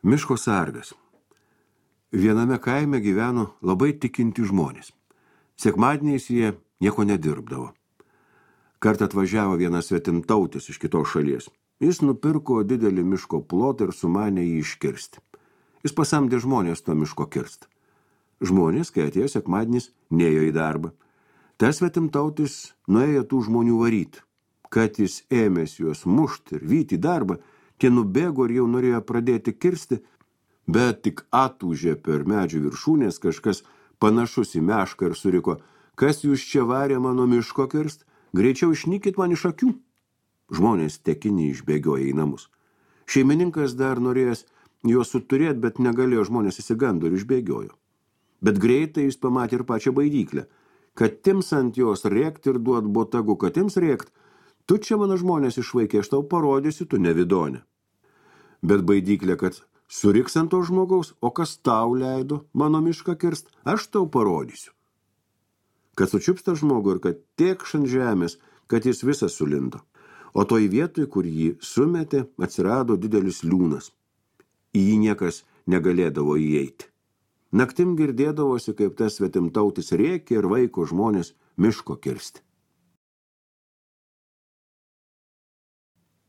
Miško sargas. Viename kaime gyveno labai tikinti žmonės. Sekmadieniais jie nieko nedirbdavo. Kartą atvažiavo vienas svetimtautis iš kitos šalies. Jis nupirko didelį miško plotą ir sumanė jį iškirsti. Jis pasamdė žmonės to miško kirst. Žmonės, kai atėjo sekmadienis, nėjo į darbą. Tas svetimtautis nuėjo tų žmonių varyti. Kad jis ėmėsi juos mušti ir vyti į darbą, tie nubėgo ir jau norėjo pradėti kirsti, bet tik atūžė per medžių viršūnės kažkas panašus į mešką ir suriko: kas jūs čia varė mano miško kirst? Greičiau išnykit man iš akių. Žmonės tekiniai išbėgiojo į namus. Šeimininkas dar norėjęs juos suturėti, bet negalėjo, žmonės įsigando ir išbėgiojo. Bet greitai jis pamatė ir pačią baidyklę. Kad tims ant jos rėkt ir duot botagu, kad tims rėkt: tu čia mano žmonės išvaikė, aš tau parodysiu, tu nevidonė. Bet baidyklė, kad suriks ant to žmogaus: o kas tau leido mano mišką kirst, aš tau parodysiu. Kad sučiups tą žmogų ir kad tėkš ant žemės, kad jis visas sulindo. O toj vietoj, kur jį sumetė, atsirado didelis liūnas. Į jį niekas negalėdavo įeiti. Naktim girdėdavosi, kaip tas svetimtautis rėkė ir vaiko žmonės miško kirsti.